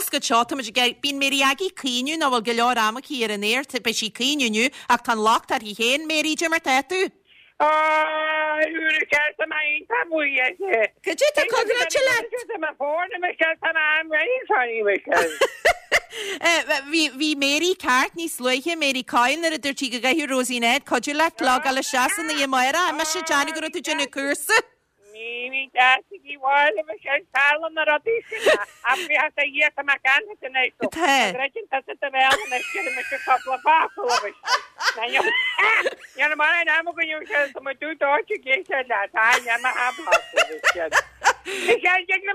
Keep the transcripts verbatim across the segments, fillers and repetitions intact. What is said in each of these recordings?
Foscadh seo tá muid ag bíonn Mary Aggie ag caoineadh nach bhfuil go leor ama aici ar an aer, beidh sí ag caoineadh inniu ach tá an locht uirthi féin, Mary, cad é mar tá tú? Cad é tá contráilte leat? Bhí bhí Mary ceart níos luaithe, Mary Coyle, nuair a dúirt sí go gcaithfeadh Rosie Ned cuidiú leat logáil isteach san oíche amárach. Mise ag déanamh go raibh tú ag déanamh cúrsa. Ní ní deas í bháil a sé tala na rudaí sin ach bhí a dhíta me gan in Tá. mar an am go sé mu dú dóte géise le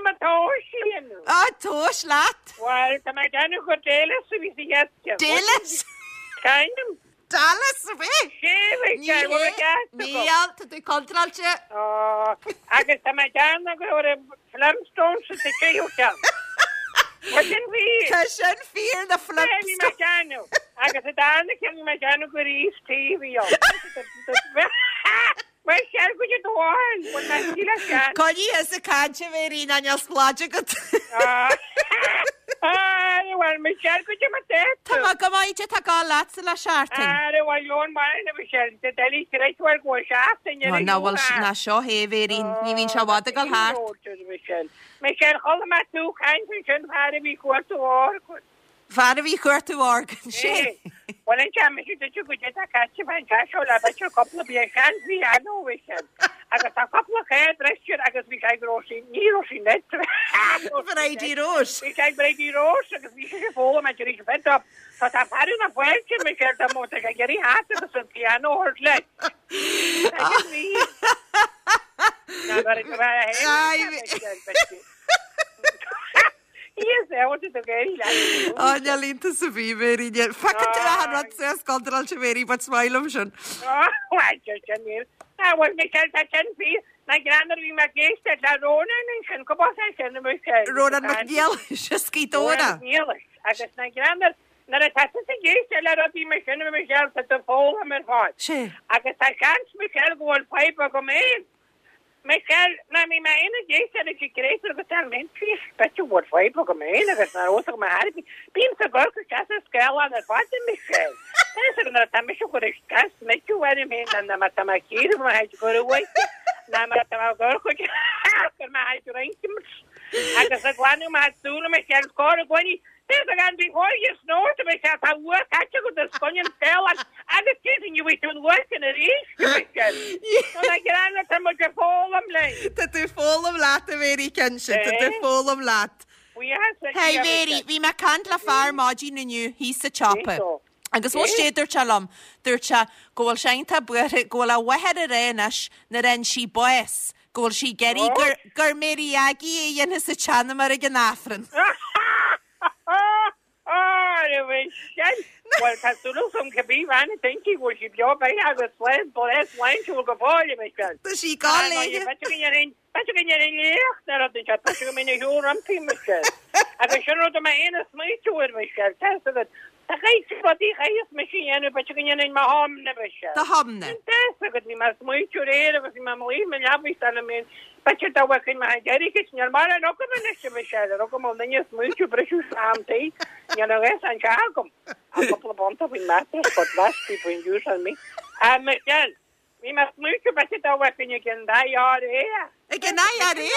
me tó Á tomhais leat? Well tá mé déanamh go Dallas a bhí sa Dallas? Kind Dallas a bhí? Níl tá tú contráilte. Agus tá mé déanamh go raibh Flintstones sa tríú ceann. Sin bhí Tá sin fíor na mé Flintstones. déanamh agus a darna ceann mé déanamh go rí TV Mar sé go dháil le cean. Coinnigh thusa ag caint a Mary ná níl spláid agat. Well me go dtí Tá má go maith tá gá leatsa le seachtain. Are bhfuil leon mar na Michelle de deli réithar go seachtain Ná bhfuil ná seo hé Mary, ní bhíonn sé bhd ag thart. Michelle. Michelle chola me tú caint sin fear a bhí cuartú organ. Fear a bhí cuartú organ sé. Well an jam si du go tá caiite fan seo le beidir cúpla bí sean bhí anó sin. Agus tá cúpla chéad agus bhí sé gro ní sí net. Bridie Rose. Bhí sé Bridie Rose agus bhí sé fóla me rí fed up. Tá tá fearú na fuilte me sé tá mó sé gerí hat agus an piano hurt le. Ai, Yes, I wanted to get Á línta sa bhí Mary. Fe tú a rud sa scontráilte Mary, but smile sin. Well, Michelle tá sin fi na greanar bhí me géiste le Ronan sin go sin Michelle. Ronan McNeill se dóna. Agus na greanar na tá sa géiste le rudaí me sin Michelle tá de fólam ar fáid. Sé. Agus tá seans Michelle go bhfuil fadhb agam féin. Michelle na mí me ina géiste a si gréir agus tá mé beidir bhfuil fadhb agam féin agus na ró go harbi. Bím sa go se scéil ar fád Michelle. Tá tá me go gas me mé na mar tá cíir mar haid go bhhaite na mar tá go gur me haid reinkim agus a glanú me dúla me sé scór gcuiní gan bí hóige snóta me sé tá ua caiite go de scoin scéil agus tí you bhí tún working ar rís tá mu fólam le. Tá tú fólam leat a Mary cinnte, tá tú fólam leat. Hey Mary, bhí mé ag caint le fear maidin inniu thíos sa tsiopa. Agus bhfuil sé dúirt sé liom, dúirt sé go bhfuil sé iontach buartha go bhfuil a mháthair ag rá anois nuair a fhaigheann sí bás, go bhfuil sí ag iarraidh gur gur Mary Aggie a dhéanfas a teanam ag an Aifreann. Well tá súil agam cibé bhean a denki bhfuil sí beo beidh agus leis leis lein go báile me Tá sí gá léi. Beidir go léocht na rud se go mé thuú Michelle. Agus sin rud mé aon smaoitiúir Michelle Tá Tá rudaí chaos me sin dhéanamh beidir go ndéanfainn mo thamna Michelle. Do thamna. Agus bhí mar smaoitiúir éir agus bhí mar lí me leabhí mé Beidir dá bhfuil me deiricis níl mar an agam anois Michelle, ar agam ó duine smaoitiú briseadh amtaí, níl a fhios an seo agam. A cúpla bunta faoin mattress, but less people in use on me. A Michelle, bhí mar smaoitiú beidir dá bhfuil ag an IRA. Ag an IRA?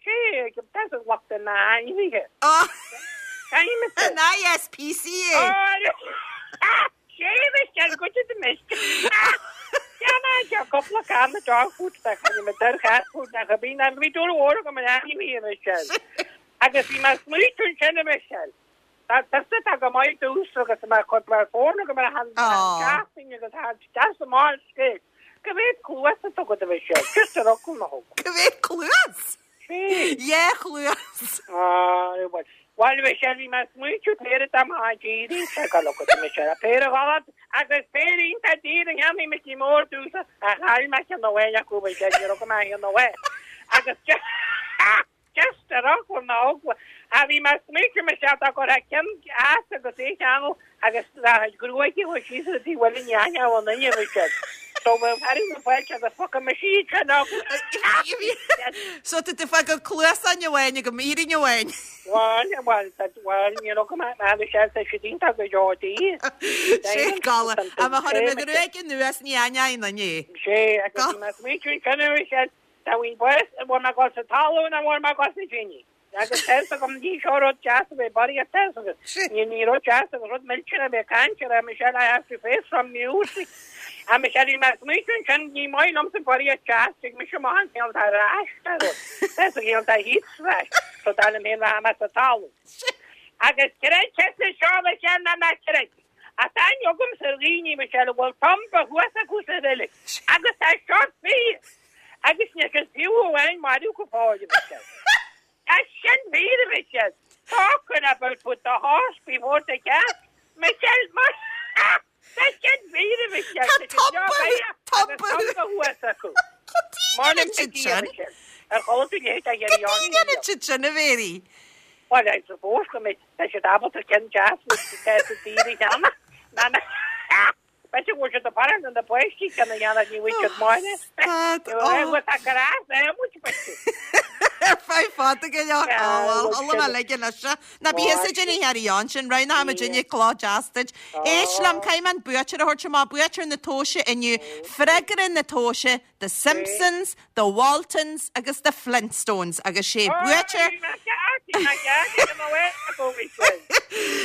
Sé, tá lucht na hainmhithe. Oh. An An ISPCA. Sé Michelle, go de mis. Ja, cúpla canna dog food tá chu me der cat food na bhí an bhí dúr go me mí Michelle. Agus bhí mar smaoitiú sin Michelle. Tá tá go maith dús agus mar chud mar fóna go mar han agus han mar scé. Go bhéad cluas a go de Michelle, just a rockú na thug. Go bhéad cluas? Ie cluas. Ah, Well Michelle bhí mar smaoitiú péire am díí se go go Michelle péire galat agus péire inta dí an jammí me tí mór dúsa a chail me an nóhe go go me an nóhe. Agus just a rock na a bhí mar smaoitiú Michelle tá go cem as agus é cheanú agus gruaige chu sí dí bhfuil neine an duine Michelle. So bheadh fearadh na fáilte agus foca mise iad sin agus. So tá tú ag fágáil cluasáin amháin agam, iarrainn amháin. Bhuel, bhuel, bhuel, you know, go mbeadh mé sé tá siad iontach go deo dí. Sé gala. A má chuir mé go raibh anuas ní aithneoidh aon duine é. Sé, agus bhí mé ag smaointiú ansin arís, tá bhí bás, bhfuil mé ag dul sa talamh nó bhfuil mé ag dul sna tine? Agus tá fhios agam ní seo rud deas a bheith barraíocht tá fhios agat. Ní ní rud deas agus rud millteanach a bheith ag caint ar Michelle I have to face from music. A Michelle bhí mé ag smaointiú ansin ní maith liomsa barraíocht deas tig mise amach an chéad ar ais tá rud. Tá fhios ag tá heat rash so dar liom féin rachaidh mé sa talamh. Agus creid tusa seo Michelle ná ná creid. Ach tá aithne agamsa ar dhaoine Michelle a bhfuil tumba thuas acu sa reilig agus tá seo fíor. Agus níl siad fiú amháin marbh go fóill Michelle. Tá sin fíor Michelle. Talking about put the horse before the cart. Michelle mar Tá sin fíor Michelle. Tá tumba tumba tumba thuas acu. Cad é siad sin? Ar chuala tú léit a Cad é siad sin a Mhéirí? Well, I suppose go mbeidh tá siad ábalta ceann deas le sa daoine cheana. Na na B'fhéidir go bhfuil siad ag faire na páistí ceann a dhéanamh ní bhfuil siad máire. Stad, Ní bhfuil tá grás é muid b'fhéidir. Ar feadh fada go leor. Á bhuel, chuala mé leige leis seo. Ná bí thusa ag déanamh thar a cheann sin, roghnóidh muidinne cloch deas duit. Éist liom, caithfidh mé an buaiteoir a thabhairt amach, buaiteoir na tomhaise inniu, freagra na tomhaise, The Simpsons, The Waltons agus The Flintstones agus sé buaiteoir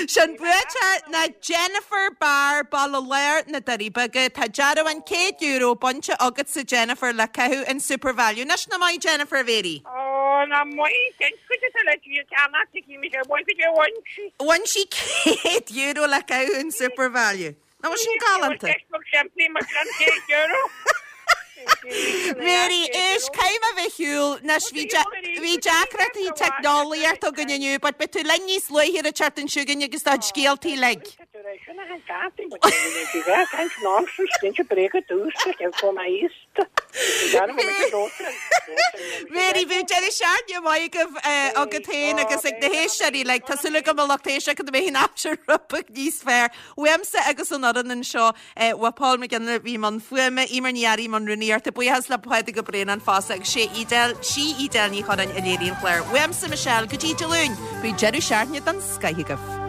Sin buaiteoir ná Jennifer Barr, Baile Láir, na Doirí Beaga. Tá dearbhán céad euro bainte agatsa Jennifer le caitheamh in Supervalu. Anois nach maith Jennifer a Mhéirí? Ó, nach maith, cén chuid atá le díol ceannach tuigim mise, bhain go dtí bhain sí. Bhain sí céad euro le caitheamh in Supervalu. Nach bhfuil sin galánta? Ceist beag simplí mar sin, céad euro. Mary, éist, caithfidh mé bheith ar shiúl. Anois, bhí bhí deacrachtaí teicneolaíochta againn inniu, but beidh tú linn níos luaithe an tseachtain seo chugainn agus do chuid scéaltaí uilig. Mary, bíodh deireadh seachtaine maith agaibh agat féin agus ag na héisteoirí uilig. Tá súil agam a lucht éisteachta go mbeidh an aimsir rud beag níos fearr. Uaimse agus ón fhoireann anseo, Uaidh Paul McGinley a bhí i mbun fuaime, Eimear Ní Fhearraigh i mbun rúnaíochta, buíochas le Pádraig Ó Braonáin fosta agus sé Edel, sí Edel Ní Chorráin a léirigh an clár. Uaimse Michelle, go dtí Dé Luain, bíodh deireadh seachtaine den scoith agaibh.